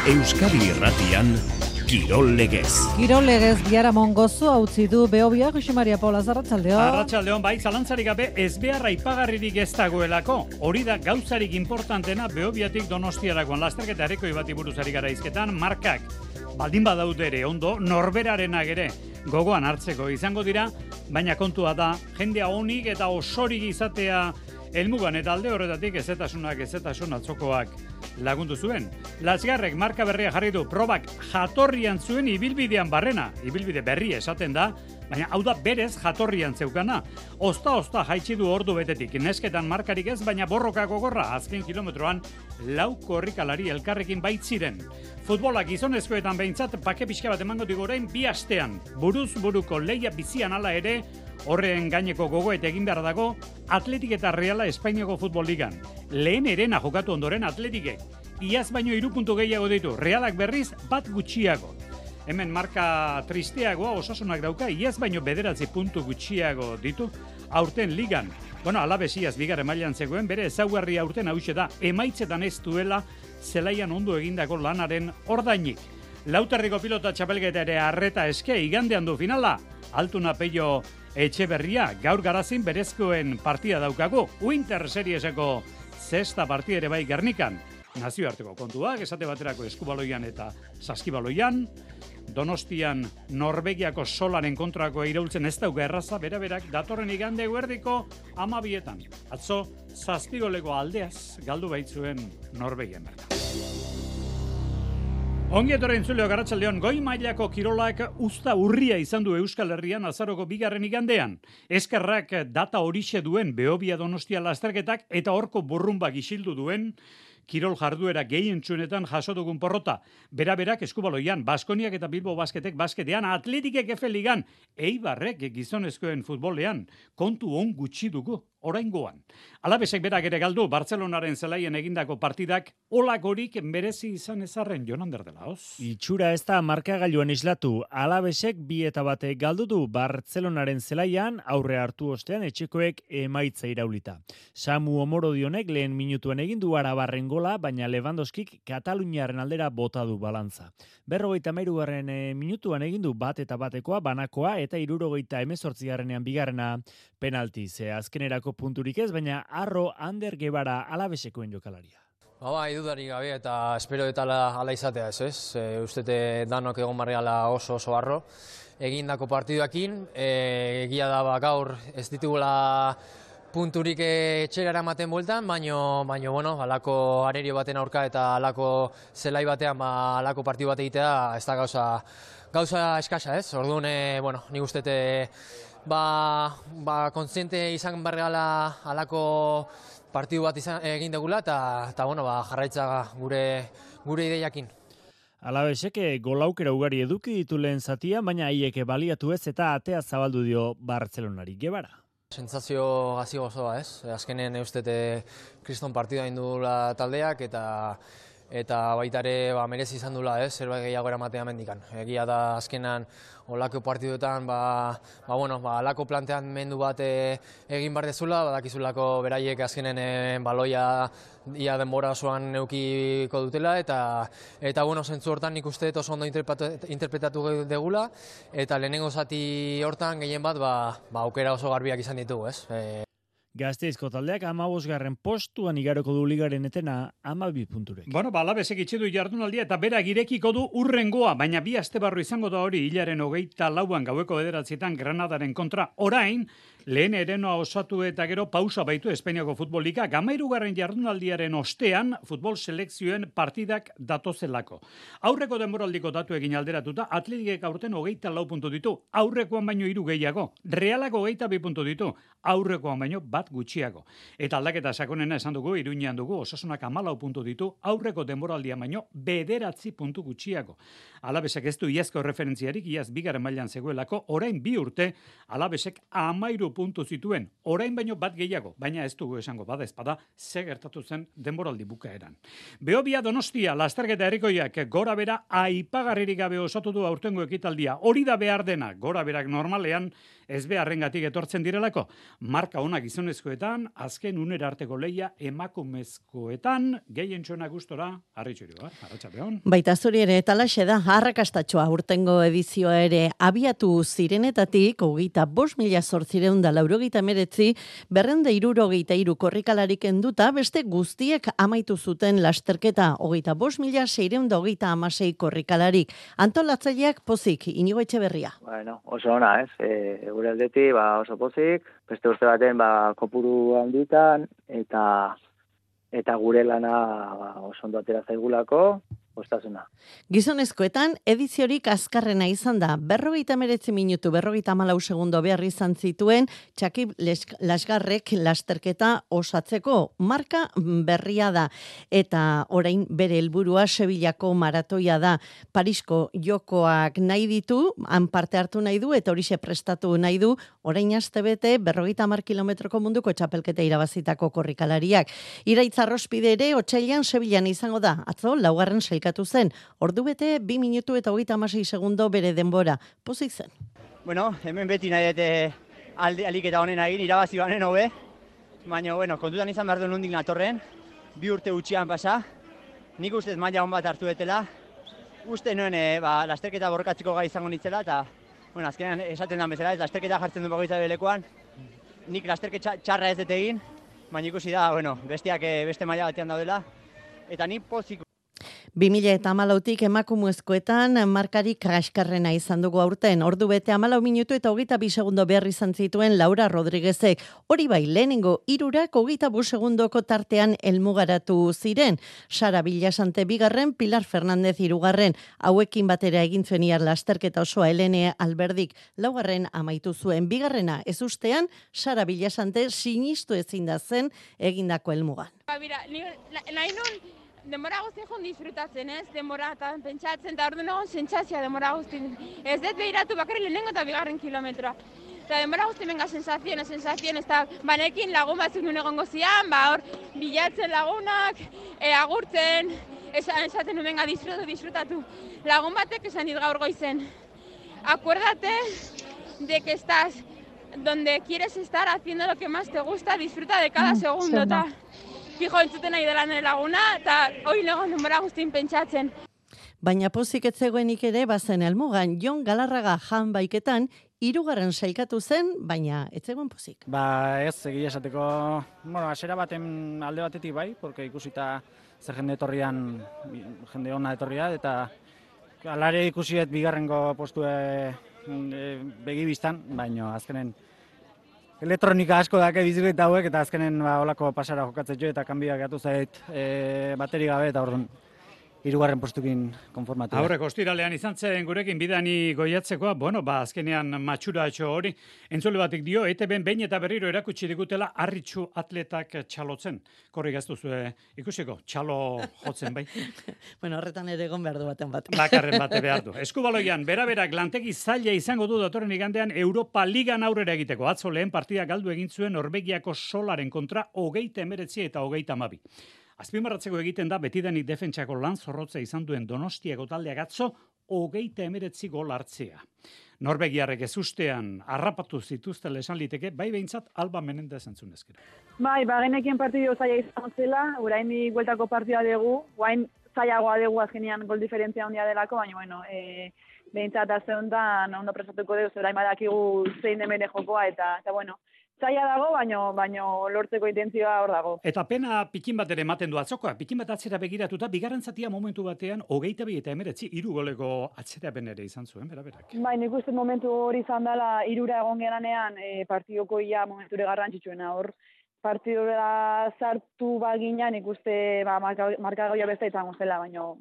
Euskadi Irratian, Kirol Legez. Kirol Legez Biaramon gozu utzi du Behobia, Jose Maria Paula, arratsaldeon. Arratsaldeon, bai, zalantzarik gabe ez beharra ipagarririk ez dagoelako. Hori da gauzarik importantena Behobiatik Donostiarakoan lasterketa erekoi bati buruz ari gara hizketan, markak baldin badaude ere ondo, norberarenak ere gogoan hartzeko izango dira, baina kontua da jendea onik eta osorik izatea helmugan eta alde horretatik ezetasun atzokoak lagundu zuen. Lasgarrek marka berria jarri du, probak jatorrian zuen ibilbidean barrena. Ibilbide berri esaten da, baina hau da berez jatorrian zeukana. Osta jaitsi du ordu betetik. Nesketan markarik ez, baina borroka gogorra. Azken kilometroan lau korrikalari elkarrekin baitziren. Futbolak gizonezkoetan behintzat pake pixka bat emango digu orain 2 astean. Buruz buruko leia bizian hala ere, horren gaineko gogoet egin behar dago, Atletik eta Reala Espainiako Futbol Ligan. Lehen erena jokatu ondoren Atletikek. Iaz baino 3 puntu gehiago ditu, Realak berriz 1 gutxiago. Hemen marka tristeagoa Osasunak dauka, iaz baino 9 puntu gutxiago ditu, aurten ligan. Alaves iaz bigarren mailan zegoen, bere ezaugarri aurten hauxe da, emaitzetan ez duela zelaian ondo egindako lanaren ordainik. Lauterriko pilota txapelketa ere arreta eske, igandean du finala, Altuna Peio Etxeberria, gaur garazin berezkoen partida daukagu, Winter Serieseko 6. partida ere bai Gernikan. Nazioarteko kontuak, esate baterako eskubaloian eta saskibaloian, Donostian Norvegiako solaren kontrako iraultzen ez dauka erraza, berak datorren igande guerdiko 12etan. Atzo, 7 goleko aldeaz galdu baitzuen Norvegian bertan. Ongi etorri entzuleo arratsaldeon, goi mailako kirolak uzta urria izan du Euskal Herrian azaroko 2. igandean. Eskerrak data horixe duen Behobia Donostia lasterketak eta horko burrumbak isildu duen kirol jarduera gehientsuenetan jaso dugun porrota. Berak eskubaloian, Baskoniak eta Bilbo Basketek basketean, Atletikek Efe Ligan, Eibarrek gizonezkoen futbolean, kontu on gutxi dugu oraingoan. Alavesek berak ere galdu, Bartzelonaren zelaien egindako partidak olakorik merezi izan ezarren Jonander de la Hoz. Itxura ez da markagailuan islatu. Alavesek 2-1 galdu du Bartzelonaren zelaian, aurre hartu ostean etxekoek emaitza iraulita. Samu Omorodionek lehen minutuan egin du Arabarren gola, baina Lewandowskik Kataluniaren aldera bota du balantza. 53. minutuan egin du 1-1 banakoa eta 78. bigarrena penalti. Azkenerako punturik ez, baina Arro Ander Gebara Alavesekoen jokalaria. Dudarik gabe eta espero eta ala izatea ez? Ustete danok egon barriala oso arro egindako partiduakin, egia da gaur ez ditugula punturik etxera eramaten bueltan, baino alako arerio baten aurka eta alako zelai batean alako partidu bat egitea ez da gauza eskasa ez? Orduan, nik ustete kontziente izan barregala alako partidu bat egin degula eta jarraitza gure ideiakin. Alavesek golaukera ugari eduki ditu lehen zatia, baina haiek baliatu ez eta atea zabaldu dio Bartzelonari. Gebara. Sentsazio gazi gozoa ez? Azkenen eustete kriston partidua indula taldeak eta baita ere merezi izan dula, zerbait gehiago eramatea mendikan. Egia da azkenan olako partiduetan alako planteamendu bat egin behar dezula, badakizulako beraiek azkenen baloia ia denbora osoan neukiko dutela eta zentzu hortan nik uste oso ondo interpretatu degula eta lehenengo zati hortan gehien bat aukera oso garbiak izan ditugu, ez? Gazteizko taldeak 15. postuan igaroko du ligaren etena 12 punturek. Alavesek itxi du jardunaldia eta berak irekiko du urrengoa, baina 2 aste barru izango da hori hilaren 24an gaueko 9etan Granadaren kontra. Orain, lehen erenoa osatu eta gero pausa baitu Espainiako Futbol Liga, 13. jardunaldiaren ostean futbol selekzioen partidak datozelako. Aurreko denboraldiko datu egin alderatuta, Atletikek aurten 24 puntu ditu, aurrekoan baino 3 gehiago. Realak 22 puntu ditu, aurrekoan baino 1 gutxiago. Eta aldaketa sakonena esan dugu, Iruñean dugu, Osasunak 14 puntu ditu, aurreko denboraldian baino 9 puntu gutxiago. Alavesek ez du iazko referentziarik, iaz 2. mailan zegoelako, orain 2 urte, Alavesek 13 puntu zituen, orain baino 1 gehiago, baina ez dugu esango bada ezpada, ze gertatu zen denboraldi bukaeran. Behobia Donostia, lasterketa herrikoiak gora bera aipagarririk gabe osatu du aurtengo ekitaldia. Hori da behar dena, gora berak normalean ezbeharrengatik etortzen direlako. Marka ona gizonezkoetan, azken unera arteko leia emakumezkoetan, gehientxona gustora, Arritxuriu, arratsaldeon. Baita zuri ere, talaxe da, arrakastatxoa urtengo edizioa ere abiatu zirenetatik, 25.889, 263 korrikalarik enduta, beste guztiek amaitu zuten lasterketa, 25.636 korrikalarik. Antolatzaileak pozik, Inigo Etxeberria. Bueno, oso ona, ez? Gure aldetik, oso pozik, beste urte baten, kopuru handitan, eta gure lana oso ondo atera zaigulako, postasuna. Gizonezkoetan, ediziorik azkarrena izan da, 59 minutu, 54 segundo behar izan zituen, Txakib Lasgarrek lasterketa osatzeko marka berria da, eta orain bere helburua Sevillako maratoia da, Parisko jokoak nahi ditu, han parte hartu nahi du, eta horixe prestatu nahi du, orain astebete 50 kilometroko munduko txapelketa irabazitako korrikalariak. Iraitzarrospide ere, otsailean Sevillan izango da, atzo, laugarren sailkatu zen, ordu bete 2 minutu eta 36 segundo bere denbora. Pozik zen. Bueno, hemen beti nahi dute aliketa honen egin, irabazi banen hobe, baina, kontutan izan behar duen nondik natorren, 2 urte gutxian pasa, nik ustez maila hon bat hartu betela, uste nuen lasterketa borrokatzeko gai izango nitzela, eta, azkenean esaten da bezala, lasterketa jartzen du bagoitza belekoan, nik lasterketa txarra ez dut egin, baina ikusi da, bestiak beste maila batean daudela, eta nik pozik. 2014tik emakumezkoetan markarik kaskarrena izan dugu aurten. Ordu bete 14 minutu eta 22 segundo behar izan zituen Laura Rodriguezek. Hori bai, lehenengo irurak 25 segundoko tartean helmugaratu ziren. Sara Villasante bigarren, Pilar Fernandez hirugarren. Hauekin batera egin zuen iar lasterketa osoa Helene Alberdik laugarren amaitu zuen. Bigarrena ez ustean, Sara Villasante sinistu ezin da zen egindako helmugan. Nahi nun denbora guztien joan disfrutatzen, ez? Denbora eta pentsatzen, eta orduan egon sentsazioa denbora guztien. Ez dut behiratu bakarri lehenengo eta bigarren kilometroa. Eta denbora guztien benga sensazioen, eta banekin lagun batzuk nuen egongo zian, hor bilatzen lagunak, agurtzen, esaten nuen benga disfrutatu. Lagun batek esan dit gaur goizen. Acuérdate de que estás donde quieres estar haciendo lo que más te gusta, disfruta de cada segundo, eta fijo entzuten nahi dela nire laguna, eta hori legon denbora guztien pentsatzen. Baina pozik ez zegoenik ere bazen helmugan, Jon Galarraga jan baiketan, 3. sailkatu zen, baina ez zegoen pozik. Ez, egia esateko, hasiera baten alde batetik bai, porque ikusita zer jende etorrian, jende ona etorria, eta alare ikusiet bigarrengo postue begibistan, baina azkenen elektronika asko dake bizikleta hauek, eta azkenen olako pasara jokatzen jo, eta kanbia gatu zait bateri gabe, eta orduan 3. postukin konformatu. Aurreko ostiralean izan zen gurekin bidani goiatzekoa, azkenean matxuratxo hori, entzule batik dio, ETB-en behin eta berriro erakutsi digutela Arritxu atletak txalotzen. Korrik ez duzue ikusiko, txalo jotzen bai. Horretan ere egon behar du baten bat. Bakarren bate behar du. Eskubaloian, beraberak lantegi zaila izango du datorren igandean Europa Ligan aurrera egiteko. Atzo lehen partida galdu egin zuen Norvegiako Solaren kontra 29 eta 32. Azpimarratzeko egiten da betidanik defentsako lan zorrotza izan duen Donostiako taldeak atzo 39 gol hartzea. Norvegiarrek ez ustean harrapatu zituztela esan liteke, bai behintzat Alba Menendez entzunezkera. Bai, genekien partidu zaila izan zela, orain bueltako partida dugu, orain zailagoa dugu azkenean gol diferentzia handia delako, baina behintzat azte honetan ondo presatuko dugu, orain badakigu zein demene jokoa, eta zaila dago, baino lortzeko intentzioa hor dago. Eta pena pikin bat ere ematen du atzokoa, pikin bat atzera begiratuta, bigarren zatia momentu batean, 22 eta 19, 3 goleko atzerapen ere izan zuen, beraberak. Bai, nik uste momentu hori izan dela, 3 egon geranean, partidoko ia momenture garrantzitsuena hor. Partidura sartu baginan ikuste markagaia beste izango zela, baino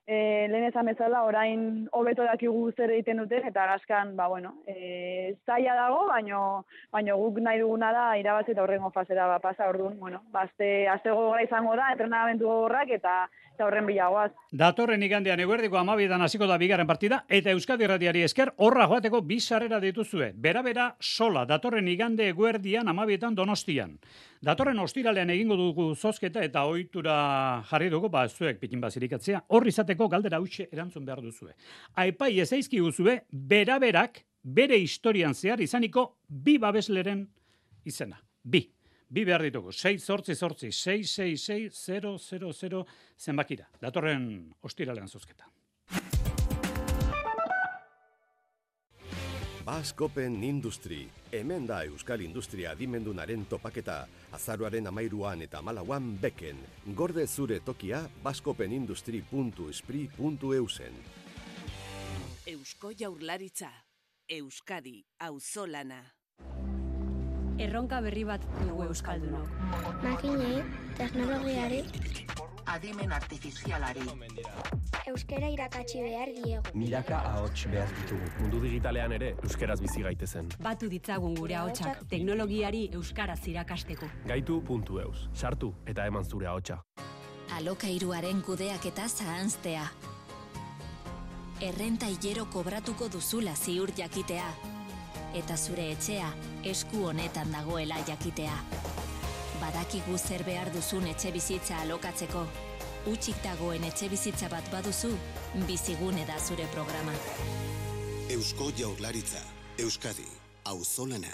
lehen esan bezala, orain hobeto dakigu zer egiten duten, eta gaskan, zaila dago, baino guk nahi duguna da irabazi eta horrengo fasera pasa orduan, aste gogorra izango da, entrenamendu gogorrak eta horren bilagoaz. Datorren igandean eguerdiko 12 hasiko da bigarren partida, eta Euskadi Irratiari esker horra joateko 2 sarrera dituzue. Bera Sola, datorren igande eguerdian 12 Donostian. Datorren ostiralean egingo dugu zozketa eta ohitura jarri dugu, zuek pikin bazirikatzea, hor izateko galdera huxe erantzun behar duzue. Aipai ez aizkiguzue, beraberak bere historian zehar izaniko 2 babesleren izena. 2 behar ditugu. 688-666-000 zenbakira. Datorren ostiralean zozketa. Basque Open Industry, hemen da Euskal Industria adimendunaren topaketa, azaroaren 13an eta 14an beken. Gorde zure tokia bascopenindustry.espri.eusen. Eusko Jaurlaritza, Euskadi, auzolana. Erronka berri bat dugu euskaldunok. Makinei, teknologiari, adimen artifizialari. Euskara irakatsi behar diegu. Milaka ahots behar ditugu. Mundu digitalean ere euskaraz bizi gaitezen. Batu ditzagun gure ahotsak teknologiari euskaraz irakasteko. Gaitu.eus. Sartu eta eman zure ahotsa. Alokairuaren kudeaketa zahanztea. Errenta hilero kobratuko duzula ziur jakitea. Eta zure etxea esku honetan dagoela jakitea. Badakigu zer behar duzun etxe bizitza alokatzeko. Utzik dagoen etxe bizitza bat baduzu, Bizigune da zure programa. Eusko Jaurlaritza, Euskadi, auzolana.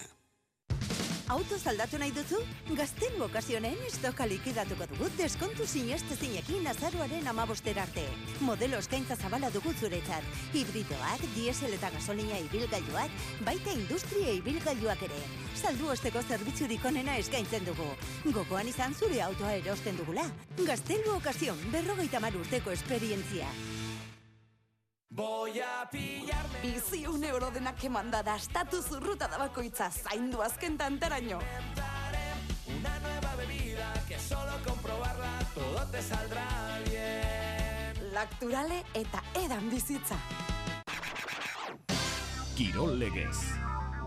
Autoz aldatu nahi duzu? Gazten bokazionen estoka likidatuko dugu deskontu sinestezinekin azaroaren 15 arte. Modelo eskaintza zabala dugu zuretzat. Hibridoak, diesel eta gasolina ibilgailuak, baita industria ibilgailuak ere. Saldu osteko zerbitzurik onena eskaintzen dugu. Gogoan izan zure autoa erosten dugula. Gazten bokazion 50 urteko esperientzia. Voy a pillarme. Bizi €1 denak emanda da, estatus urruta da bakoitza, zaindu azken tantaraino. Una nueva bebida que solo comprobarla todo te saldrá bien. Lacturale eta edan bizitza. Kirol legez.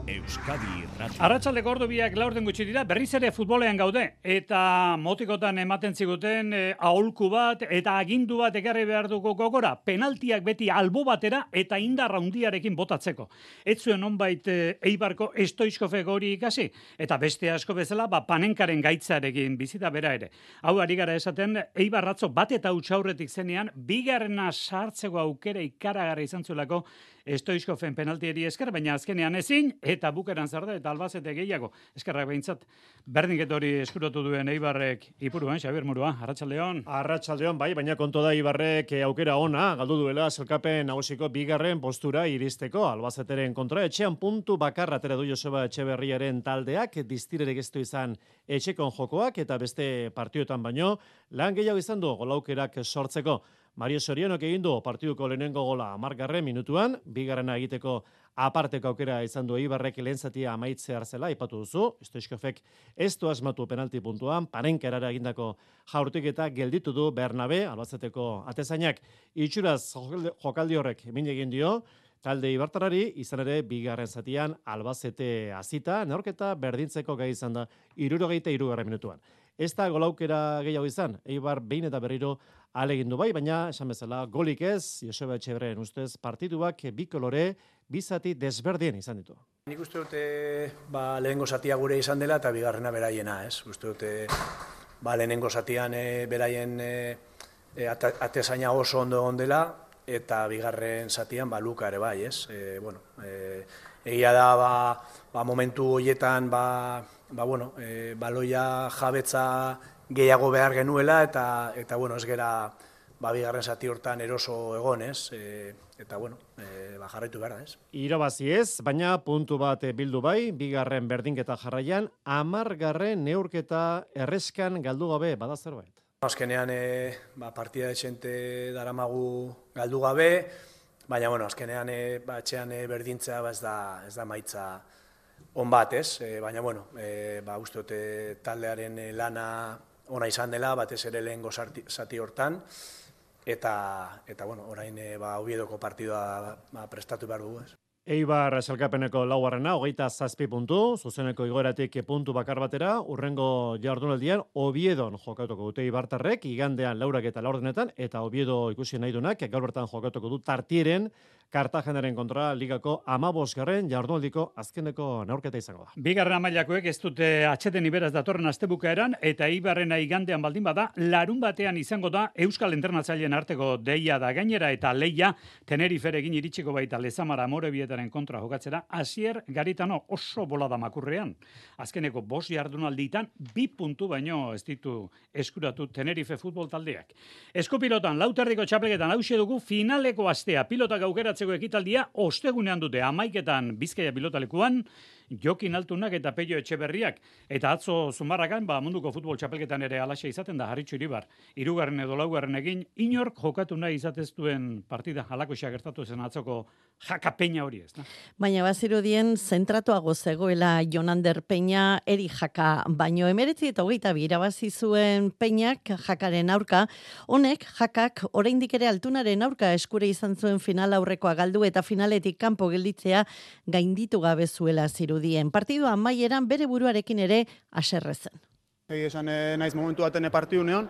Euskadi Irratia. Arratsaldeko ordubiak 4 gutxi dira, berriz ere futbolean gaude, eta motikotan ematen ziguten aholku bat eta agindu bat ekarri behar dugu gogora, penaltiak beti albo batera eta indar handiarekin botatzeko. Ez zuen onbait Eibarko Stoichkovek hori ikasi, eta beste asko bezala, Panenkaren gaitzarekin bizita bera ere. Hau ari gara esaten, Eibar atzo bat eta huts aurretik zenean, bigarrena sartzeko aukera ikaragarri izan zuelako Stoichkoven penaltieri esker, baina azkenean ezin, eta bukeran zer da, eta Albacete gehiago. Eskerrak behintzat, berdinketa hori eskuratu duen Eibarrek ipuruan, Xabier Murua, Arratsaldeon. Arratsaldeon, bai, baina kontu da Eibarrek aukera ona, galdu duela sailkapen nagusiko bigarren postura iristeko, Albaceteren kontra, etxean puntu bakarra atera du Joseba Etxeberriaren taldeak, diztirerek ez du izan etxekon jokoak, eta beste partioetan baino, lan gehiago izan du golaukerak sortzeko. Mario Sorianok egin du partiduko lehenengo gola 10. minutuan, bigarrena egiteko aparteko aukera izan du Eibarrek lehen zatia amaitzear zela, aipatu duzu, Stoichkovek ez du asmatu penalti puntuan, Panenkarara egindako jaurtik eta gelditu du Bernabe, Albaceteko atezainak, itxuraz jokaldi horrek min egin dio, talde Ibartarari, izan ere bigarren zatian Albacete hasita, neorketa berdintzeko gai izan da 73. minutuan. Ez da golaukera gehiago izan, Eibar behin eta berriro alegindu bai, baina esan bezala golik ez, Joseba Etxeberrien ustez partituak bi kolore, bi zati desberdien izan ditu. Nik uste dute lehenengo zatia gure izan dela eta bigarrena beraiena, ez? Uste dute lehenengo zatian beraien atezaina oso ondo ondela eta bigarren zatian luka ere bai, ez? Egia da momentu horietan baloia jabetza gehiago behar genuela eta ez gera bigarren zati hortan eroso egon, ez? Eta jarraitu behar da, ez? Irabazi ez, baina puntu bat bildu bai, bigarren berdinketa jarraian, 10. neurketa erreskan galdu gabe, bada zerbait. Azkenean partida dezente daramagu galdu gabe, baina azkenean etxean berdintzea ez da maitza on bat, ez? Baina uste dute taldearen lana ona izan dela, batez ere lehengo zati hortan, eta orain Oviedoko partidua prestatu behar dugu, ez? Eibar sailkapeneko 4. 27 puntu, zuzeneko igoeratik puntu bakar batera, urrengo jardunaldian Oviedon jokatuko dute Eibartarrek, igandean 4 eta 4 eta Oviedo ikusi nahi dunak, gaur bertan jokatuko du Tartieren Kartagenaren kontra ligako 15. jardunaldiko azkeneko neurketa izango da. Bigarren mailakoek ez dute atxeden iberaz datorren astebukaeran eta Eibarrena igandean baldin bada, larun batean izango da Euskal Entrenatzaileen arteko deia da gainera eta leia Teneriferekin iritsiko baita Lezamara Amorebietaren kontra jokatzera Asier Garitano oso bolada makurrean. Azkeneko 5 jardunalditan 2 puntu baino ez ditu eskuratu Tenerife futbol taldeak. Eskupilotan lauterdiko txapelketan hauxe dugu finaleko astea pilotak aukeratzeko ekitaldia ostegunean dute 11etan Bizkaia pilotalekuan Jokin Altunak eta Peio Etxeberriak eta atzo Zumarragan munduko futbol txapelketan ere alaxe izaten da Harritxu Iribar. 3. edo 4. egin inork jokatu nahi izatez duen partida halakoxa gertatu zen atzoko Jaka Peña hori ez. Baina bazirudien zentratuago zegoela Jonander Peña eri Jaka, baino 19 eta 22 irabazi zuen Peñak Jakaren aurka. Honek Jakak oraindik ere Altunaren aurka eskure izan zuen final aurrekoa galdu eta finaletik kanpo gelditzea gainditu gabe zuela zirudien. Partidua amaieran bere buruarekin ere haserrezen. Esan naiz momentu baten partidunean,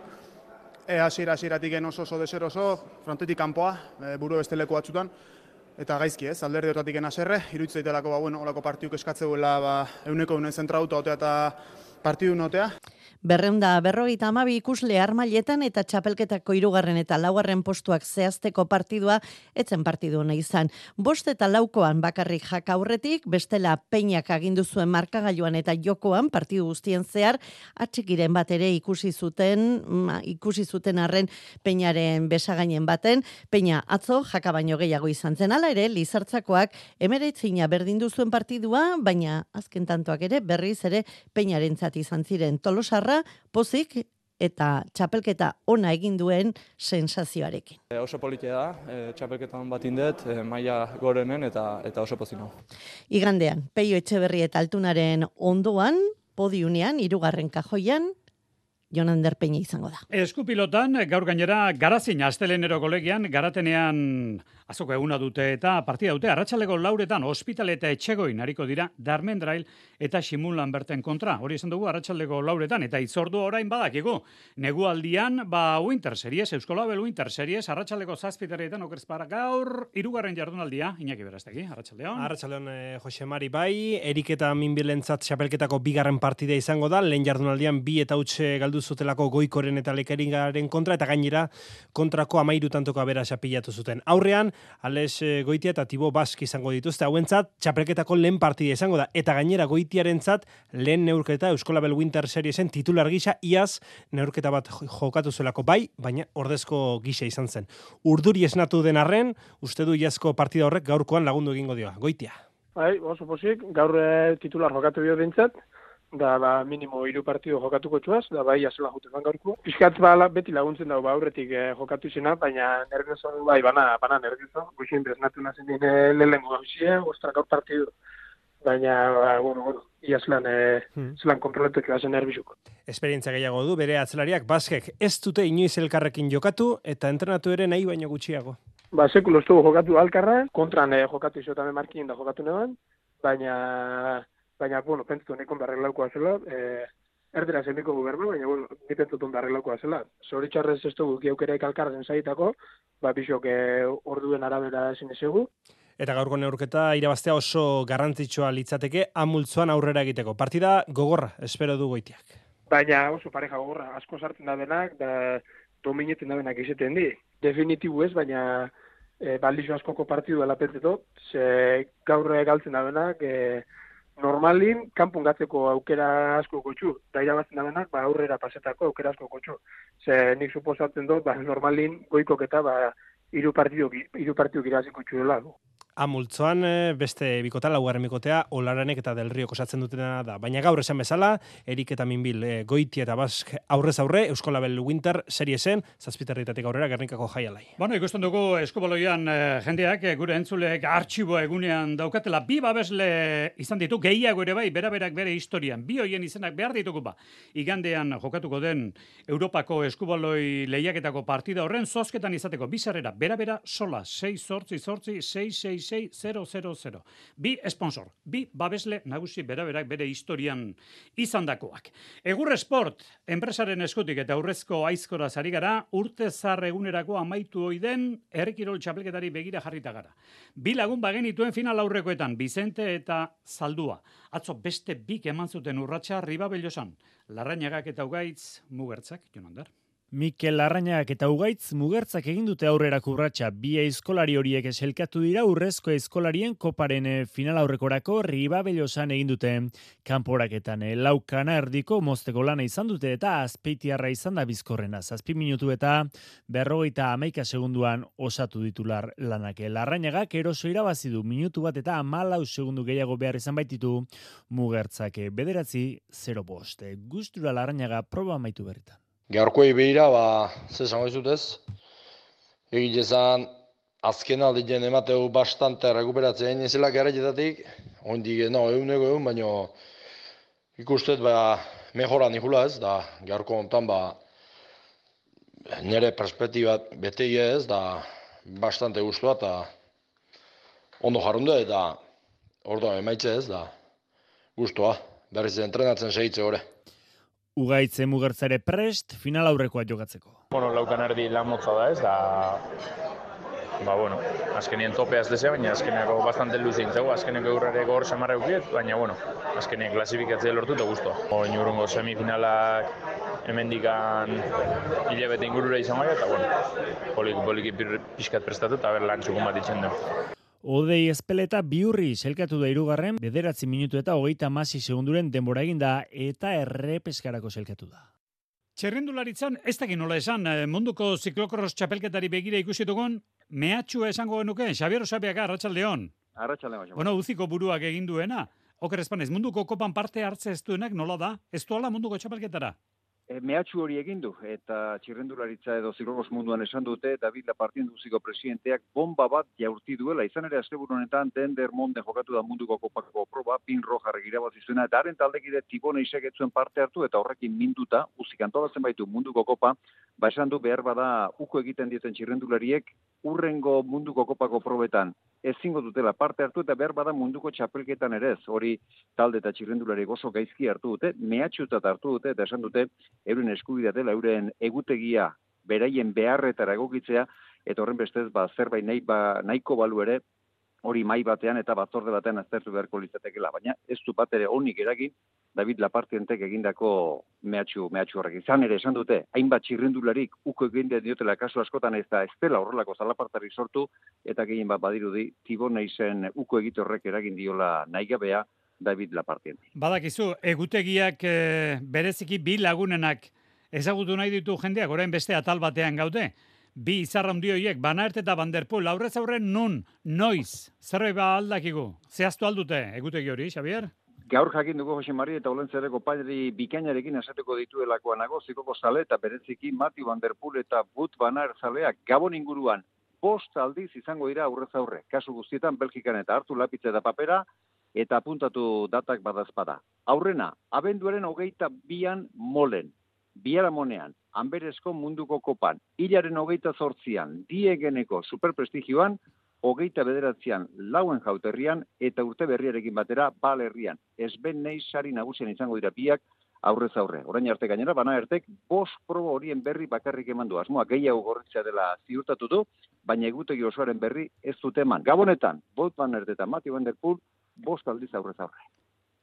hasieratik oso deseroso, frontetik kanpoa, buru beste leku batzutan, eta gaizki ez, alderdi hortatik haserre, iruditzen zaitelako olako partiduk eskatzeuela euneko zentrauta otea eta partidu notea. 252 ikusle armailetan eta txapelketako 3. eta 4. postuak zehazteko partidua etzen partidu ona izan. 5 eta 4koan bakarrik Jaka aurretik, bestela Peñak agindu zuen markagailuan eta jokoan partidu guztien zehar atxikiren bat ere ikusi zuten arren Peñaren besagainen baten. Peña atzo Jaka baino gehiago izan zen, hala ere Lizartzakoak 19 berdindu zuen partidua, baina azken tantoak ere berriz ere Peñarentzat izan ziren. Tolosarra pozik eta txapelketa ona egin duen sensazioarekin. Oso politia da, txapelketan bat indet, maila gorenen eta oso pozino. Igandean, Peio Etxeberri eta Altunaren ondoan, podiunean, 3. kajoian, Jonander Peña izango da. Eskupilotan, gaur gainera, Garazin Astelenero kolegian, Garatenean azoko eguna dute eta partida dute, arratsaldeko 4etan Ospitale eta Etxegoin hariko dira Darmendrail eta Ximulan berten kontra. Hori esan dugu arratsaldeko 4etan eta itzordu orain badakigu. Negualdian, Winter Series, Euskolabel Winter Series, arratsaldeko 7etan okerezpara gaur 3. jardunaldia, Iñaki Berastegi, arratsaldeon. Arratsaldeon Jose Mari bai, Erik eta Minbilentzat txapelketako 2. partida izango da, lehen jardunaldian 2 eta utxe galdu zutelako Goikoren eta Lekeringaren kontra eta gainera kontrako 13 tantoko aberasa pilatu zuten. Aurrean Ales Goitia eta Tibo Bask izango dituzte, hauentzat txapelketako lehen partida izango da, eta gainera Goitiarentzat lehen neurketa Euskolabel Winter Seriesen titular gisa, iaz neurketa bat jokatu zuelako bai, baina ordezko gisa izan zen. Urduri esnatu den arren, uste du iazko partida horrek gaurkoan lagundu egingo dioa. Goitia. Bai, oso pozik, gaur titular jokatu dio dintzat, da minimo 3 partidu jokatuko txuaz, da bai azela jutetan gaurko. Piskat beti laguntzen dago aurretik jokatu izena, baina nervioso bai, bana nervioso. Guxin beznatu nazen dine lehenengo gauzie, ostra gaur partidu. Baina, bueno, zelan kontroletuak bazen nervizuk. Esperientzia gehiago du, bere atzelariak Baskek ez dute inoiz elkarrekin jokatu, eta entrenatu ere nahi baino gutxiago. Sekulo estugu jokatu alkarra, kontran jokatu izotan markin da jokatu neban, baina, bueno, pentsutu nekon darreglaukoa zela, erdera zeniko guberna, baina, bueno, ni pentsutun darreglaukoa zela. Zoritxarrez ez dugu geukereik alkarren zaitako, bisok orduen arabera ezin ezegu. Eta gaurko neurketa irabaztea oso garrantzitsua litzateke amultzoan aurrera egiteko. Partida gogorra, espero du Goitiak. Baina oso pareja gogorra, asko sartzen da benak, da dominetzen da benak izaten di. Definitibu ez, baina baldizo askoko partidu dela pentsetot, ze gaur galtzen da benak, normalin, kanpun gatzeko aukera asko gotxu, da irabazten da benak, aurrera pasetako aukera asko gotxu. Ze nik suposatzen dut, normalin goikok eta 3 partiduk irabaziko txuela. Amultzoan beste bikota, 4. bikotea, Olaranek eta Del Riok osatzen dutena da. Baina gaur esan bezala, Erik eta Minbil, Goitia eta Bask aurrez aurre, Euskolabel Winter Seriesen, 7 aurrera Gernikako jaialai. Bueno, ikusten dugu eskubaloian jendeak, gure entzuleek artxiboa egunean daukatela, 2 babesle izan ditu, gehiago ere bai, beraberak bere historian, 2 hoien izenak behar ditugu ba. Igandean jokatuko den Europako eskubaloi lehiaketako partida horren zozketan izateko, 2 sarrera, bera sola, 6-8, 6-6, 66000. Bi sponsor, bi babesle nagusi beraberak bere historian izandakoak. Egur Esport, enpresaren eskutik eta aurrezko aizkora zari gara, urte zar egunerako amaitu oiden herrikirol txapelketari begira jarrita gara. Bi lagun bagenituen final aurrekoetan, Vicente eta Zaldua. Atzo beste bik eman zuten urratsa Ribabellosan. Larrañagak eta Ugaitz Mugertzak, Jonander. Mikel Larrañagak eta Ugaitz Mugertzak egin dute aurrera urratsa. Bi aizkolari horiek eselkatu dira urrezko aizkolarien koparen final aurrekorako Ribabellosan egin dute kanporaketan. Laukana erdiko mozteko lana izan dute eta Azpeitiarra izan da bizkorrena. 7 minutu eta 51 segunduan osatu ditular lanak. Larrañagak eroso irabazi du minutu bat eta 14 segundu gehiago behar izan baititu Mugertzak 9-0. Gustura Larrañaga proba amaitu berritan. Gaurkoei behira, zesango izutez, egilezan azken aldien emateu bastante rekuperatzen izela garaietatik, ondik, egun, baina ikustet, mejoran ikula ez, da gaurko ontan, nire perspektibat bete ez, da bastante gustua, eta ondo jarrundu, eta ordo emaitze ez, da gustua, berriz entrenatzen segitze gore. Ugaitze Mugertzare prest, final aurrekoa jokatzeko. Laukan erdi lan motza da ez, azkenien topea ez dezea, baina azkeneko bastante luzin zego, azkeneko eurrare gor samarra eukiet, baina azkenien klasifikatzea lortu eta guztua. Inurungo semifinalak hemendikan hilabete ingurura izan baina, eta poliki pixkat prestatu eta lan txukun bat itxen du. Odei Ezpeleta Biurri selkatu da 3. 9 minutu eta 36 segunduren denbora eginda eta errepeskarako selkatu da. Txerrendularitzan, ez dakit nola esan, munduko ziklokros txapelketari begira ikusi dugun, mehatxua esango genuke, Xabier Osabeaga, Arratsaldeon. Arratsaldeon. Uziko buruak egin duena. Oker espanez, munduko kopan parte hartze ez duenak nola da? Ez duela munduko txapelketara? Mehatxu hori egin du, eta txirrendularitza edo ziklokros munduan esan dute, David Lapartien duziko presidenteak bomba bat jaurti duela. Izan ere, asteburu honetan, Dendermonde jokatu da munduko kopako proba, Pin Rojarrek irabazi zuena, eta haren taldekide Tibone Isegetzuen parte hartu, eta horrekin minduta, uzik antolatzen baitu munduko kopa, esan du behar bada uko egiten dieten txirrendulariek, urrengo munduko kopako probetan ezingo dutela parte hartu, eta behar bada munduko txapelketan ere ez. Hori talde eta txirrendulariek oso gaizki hartu dute, mehatxutat hartu dute, eta esan dute, euren eskubidea dela, euren egutegia beraien beharretara egokitzea, eta horren bestez, zerbait nahiko balu ere, hori mai batean eta batzorde batean aztertu beharko litzatekeela, baina ez du bat ere onik eragin David Lapartientek egindako mehatxu horrek. Izan ere esan dute, hainbat txirrendularik uko egin diotela kasu askotan ez dela horrelako zalapartari sortu, eta gehien bat badirudi Tiboneizen uko egite horrek eragin diola nahigabea David Lapartien. Badakizu, egutegiak bereziki bi lagunenak ezagutu nahi ditu jendeak, orain beste atal batean gaude. Bi izarra handi horiek, Van Aert eta Van der Poel, aurrez aurren nun, noiz, zerbait aldakigu, zehaztu aldute egutegi hori, Xabier? Gaur jakin dugu Jose Mari eta Olentzereko pairi bikainarekin esateko dituelakoa nago, zikoko zale eta bereziki Mati Van der Poel eta Wout Van Aert zaleak Gabon inguruan 5 aldiz izango dira aurrez aurre. Kasu guztietan Belgikan eta hartu lapitza eta papera eta apuntatu datak badazpada. Aurrena, abenduaren 22an Molen, Biharamonean, Anberesko munduko kopan, hilaren 28an, Diegeneko superprestigioan, 29an Lauen Jauterrian eta urte berriarekin batera Balerrian. Esben nei sari nagusian izango dira biak aurrez aurre. Orain arte gainera, Van Aertek 5 proba horien berri bakarrik eman du. Asmoa gehiago gorritzea dela ziurtatu du, baina egutegi osoaren berri ez dute eman. Gabonetan, Wout Van Aert eta Mathieu van der Poel 5 aldiz aurrez aurre.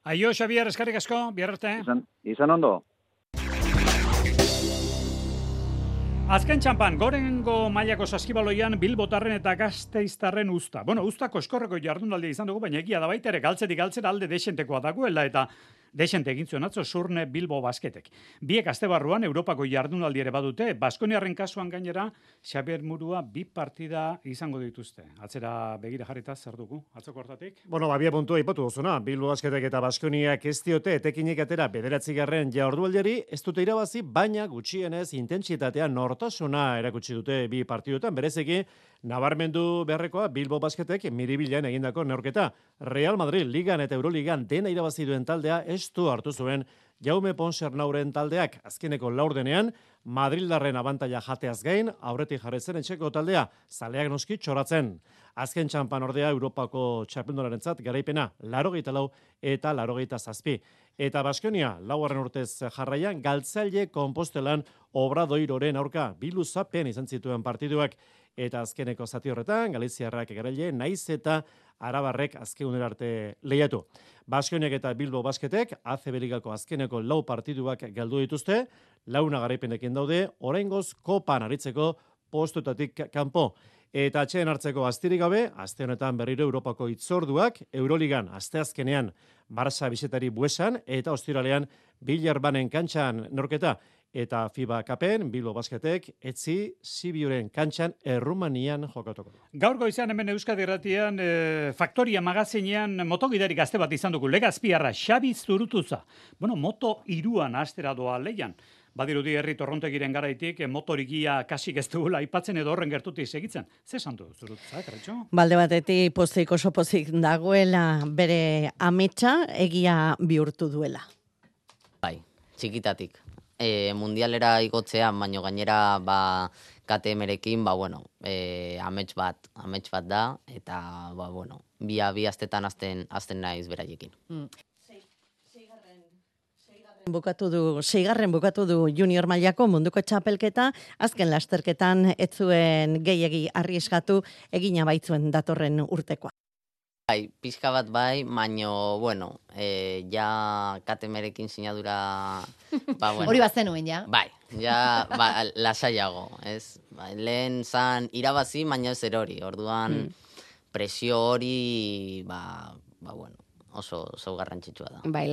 Aio, Xabier, eskerrik asko, bihar arte. Izan ondo. Azken txampan, gorengo mailako saskibaloian Bilbotarren eta Gasteiztarren usta. Ustako eskorreko jardunaldia izan dugu, baina egia da baita ere galtzetik galtzera alde desentekoa dagoela eta desente egin zuen atzo Surne Bilbo Basketek. Biek astebarruan Europako jardunaldi ere badute, Baskoniarren kasuan gainera Xabier Murua 2 partida izango dituzte. Atzera begira jarrita zer dugu, atzoko hortatik? Bia puntua ipatu duzuna, Bilbo Basketek eta Baskoniak ez diote etekinik atera 9. jardunaldiari, ez dute irabazi, baina gutxienez intentsitatea nortasuna erakutsi dute 2 partiduetan, bereziki nabarmendu beharrekoa Bilbo Basketek Miribilan egindako neurketa. Real Madrid Ligan eta Euroligan dena irabazi duen taldea estu hartu zuen Jaume Ponsernauren taldeak azkeneko laurdenean Madrildarren abantaila jateaz gain, aurretik jarretzen etxeko taldea, zaleak noski txoratzen. Azken txampan ordea Europako txapeldunarentzat garaipena 84 eta 87. Eta Baskonia, laugarren urtez jarraian, Galtzaile Konpostelan Obradoiroren aurka biluzapen izan zituen partiduak. Eta azkeneko zati horretan, Galiziarrak garaile, naiz eta Arabarrek azkeunera arte lehiatu. Baskoniak eta Bilbo Basketek, ACB Ligako azkeneko 4 partiduak galdu dituzte, 4 garaipenekin daude, oraingoz kopan aritzeko postuetatik kanpo. Eta atxeen hartzeko astirik gabe, aste honetan berriro Europako itzorduak, Euroligan asteazkenean Barça bizetari Buesan, eta ostiralean Billerbanen kantxan norketa. Eta FIBA Cupen, Bilbo Basketek, etzi Sibiuren kantxan Errumanian jokatuko. Gaur goizean hemen Euskadi Irratian Faktoria magazinean motogidari gazte bat izan dugu. Legazpiarra, Xabi Zurutuza. Bueno, moto 3an astera doa leian. Badirudi herri Torrontegiren garaitik motorigia kasik ez dugula aipatzen edo horren gertutik segitzen. Ze esan du Zurutuza, Karetxo? Balde batetik pozik oso pozik dagoela bere ametsa egia bihurtu duela. Bai, txikitatik. Mundialera igotzean, baino gainera KTM-rekin, amets bat da, eta bi astetan azten naiz beraiekin. Seigarren bukatu du junior mailako munduko txapelketa, azken lasterketan ez zuen gehiegi arrieskatu egina baitzuen datorren urtekoa. Bai, pixka bat bai, baino, ja KTM-rekin sinadura... Hori bazenuen, ja? Bai, ja, lasaiago, ez? Lehen zan irabazi, baina ez erori, orduan presio hori, oso garrantzitsua da. Bai,